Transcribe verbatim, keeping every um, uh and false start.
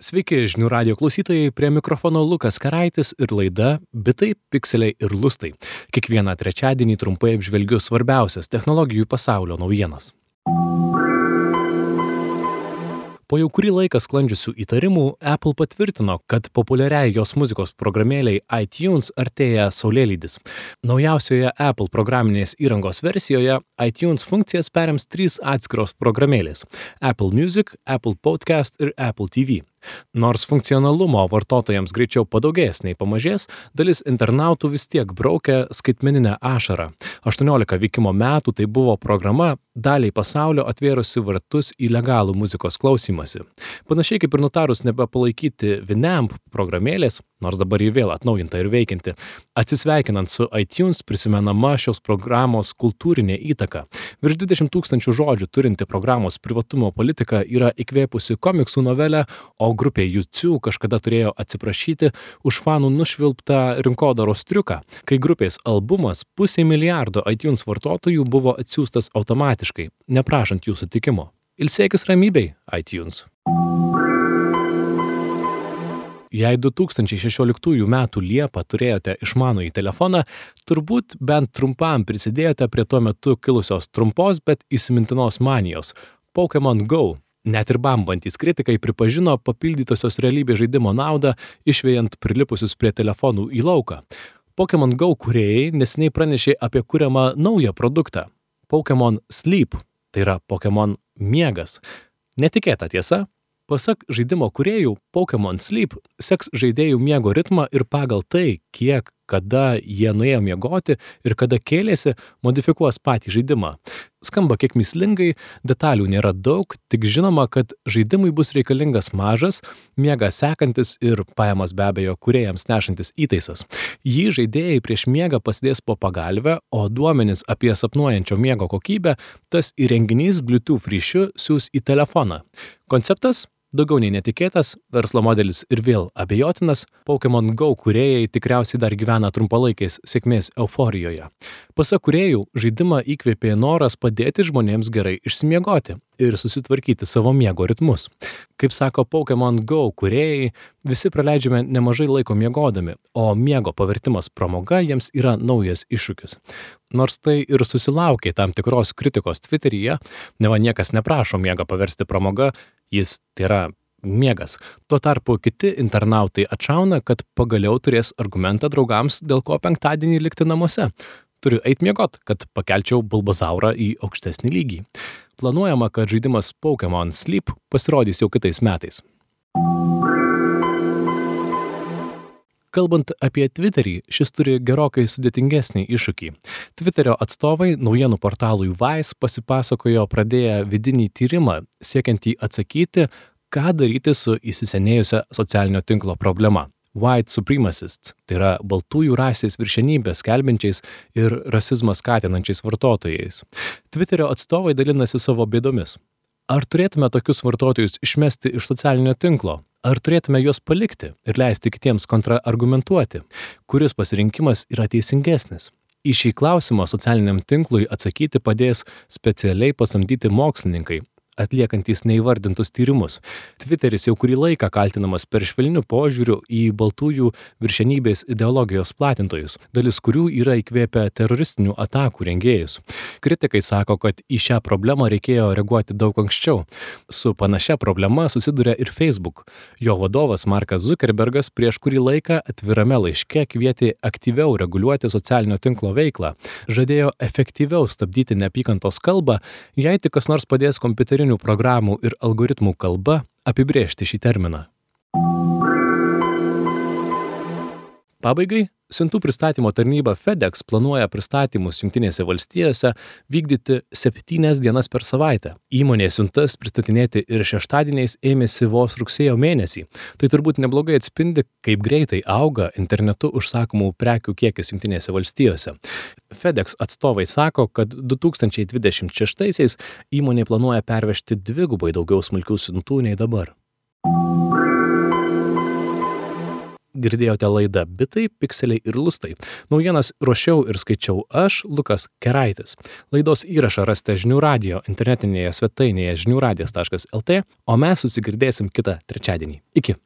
Sveiki, žinių radio klausytojai, prie mikrofono Lukas Karaitis ir laida Bitai, pikseliai ir lustai. Kiekvieną trečiadienį trumpai apžvelgiu svarbiausias technologijų pasaulio naujienas. Po jau kurį laiką sklandžiusių įtarimų, Apple patvirtino, kad populiariai jos muzikos programėliai iTunes artėja saulėlydis. Naujausioje Apple programinės įrangos versijoje iTunes funkcijas perims trys atskiros programėlės – Apple Music, Apple Podcast ir Apple T V. Nors funkcionalumo vartotojams greičiau padaugės nei pamažės, dalis internautų vis tiek braukia skaitmeninę ašarą. aštuoniolika veikimo metų tai buvo programa, daliai pasaulio atvėrusi vartus į legalų muzikos klausymąsi. Panašiai kaip ir nutarus nebepalaikyti Winamp programėlės, nors dabar jį vėl atnaujinta ir veikianti, atsisveikinant su iTunes prisimenama šios programos kultūrinė įtaka. Virš dvidešimt tūkstančių žodžių turinti programos privatumo politika yra įkvėpusi komiksų novelę, o grupė U two kažkada turėjo atsiprašyti už fanų nušvilptą rinkodaros triuką, kai grupės albumas pusė milijardo iTunes vartotojų buvo atsiųstas automatiškai, neprašant jų sutikimo. Ilsėkis ramybei, iTunes. Jei du tūkstančiai šešioliktųjų metų Liepą turėjote išmanųjį telefoną, turbūt bent trumpam prisidėjote prie tuo metu kilusios trumpos, bet įsimintinos manijos – Pokémon Go. Net ir bambantys kritikai pripažino papildytosios realybės žaidimo naudą, išvejant prilipusius prie telefonų į lauką. Pokémon Go kūrėjai neseniai pranešė apie kuriamą naują produktą – Pokémon Sleep, tai yra Pokémon miegas. Netikėta tiesa? Pasak žaidimo kūrėjų, Pokémon Sleep seks žaidėjų miego ritmą ir pagal tai, kiek, kada jie nuėjo miegoti ir kada kėlėsi, modifikuos patį žaidimą. Skamba kiek mįslingai, detalių nėra daug, tik žinoma, kad žaidimui bus reikalingas mažas, miegą sekantis ir pajamas be abejo kūrėjams nešantis įtaisas. Jį žaidėjai prieš miegą pasidės po pagalvę, o duomenis apie sapnuojančio miego kokybę tas įrenginys Bluetooth ryšiu siųs į telefoną. Konceptas? Daugiau nei netikėtas, verslo modelis ir vėl abejotinas, Pokémon Go kūrėjai tikriausiai dar gyvena trumpalaikės sėkmės euforijoje. Pasak kūrėjų, žaidimą įkvėpė noras padėti žmonėms gerai išsimiegoti ir susitvarkyti savo miego ritmus. Kaip sako Pokémon Go kūrėjai, visi praleidžiame nemažai laiko miegodami, o miego pavertimas pramoga jiems yra naujas iššūkis. Nors tai ir susilaukė tam tikros kritikos Twitteryje, neva niekas neprašo miegą paversti pramoga, jis tai yra miegas. Tuo tarpu kiti internautai atšauna, kad pagaliau turės argumentą draugams, dėl ko penktadienį likti namuose. Turiu eit miegot, kad pakelčiau Bulbazaurą į aukštesnį lygį. Planuojama, kad žaidimas Pokémon Sleep pasirodys jau kitais metais. Kalbant apie Twitterį, šis turi gerokai sudėtingesnį iššūkį. Twitterio atstovai naujienų portalui Vice pasipasakojo pradėję vidinį tyrimą, siekiantį atsakyti, ką daryti su įsisenėjusia socialinio tinklo problema. White supremacists, tai yra baltųjų rasės viršenybės skelbiančiais ir rasizmą skatinančiais vartotojais. Twitterio atstovai dalinasi savo bėdomis. Ar turėtume tokius vartotojus išmesti iš socialinio tinklo? Ar turėtume juos palikti ir leisti kitiems kontraargumentuoti? Kuris pasirinkimas yra teisingesnis? Į šį klausimą socialiniam tinklui atsakyti padės specialiai pasamdyti mokslininkai, atliekantys neįvardintus tyrimus. Twitteris jau kurį laiką kaltinamas per švelniu požiūriu į baltųjų viršenybės ideologijos platintojus, dalis kurių yra įkvėpę teroristinių atakų rengėjus. Kritikai sako, kad į šią problemą reikėjo reaguoti daug anksčiau. Su panašia problema susiduria ir Facebook. Jo vadovas Markas Zuckerbergas prieš kurį laiką atvirame laiške kvietė aktyviau reguliuoti socialinio tinklo veiklą. Žadėjo efektyviau stabdyti neapykantos kalbą, jei tik kas nors padės kompiuterinių programų ir algoritmų kalba apibrėžti šį terminą. Pabaigai, siuntų pristatymo tarnyba FedEx planuoja pristatymus Jungtinėse valstijose vykdyti septynias dienas per savaitę. Įmonė siuntas pristatinėti ir šeštadieniais ėmėsi vos rugsėjo mėnesį. Tai turbūt neblogai atspindi, kaip greitai auga internetu užsakomų prekių kiekis Jungtinėse valstijose. FedEx atstovai sako, kad du tūkstančiai dvidešimt šeštaisiais įmonė planuoja pervežti dvigubai daugiau smulkių siuntų nei dabar. Girdėjote laidą Bitai, pikseliai ir lustai. Naujienas ruošiau ir skaičiau aš, Lukas Keraitis. Laidos įrašą rasite žinių radijo internetinėje svetainėje žinių radijas taškas lt, o mes susigirdėsim kitą trečiadienį. Iki.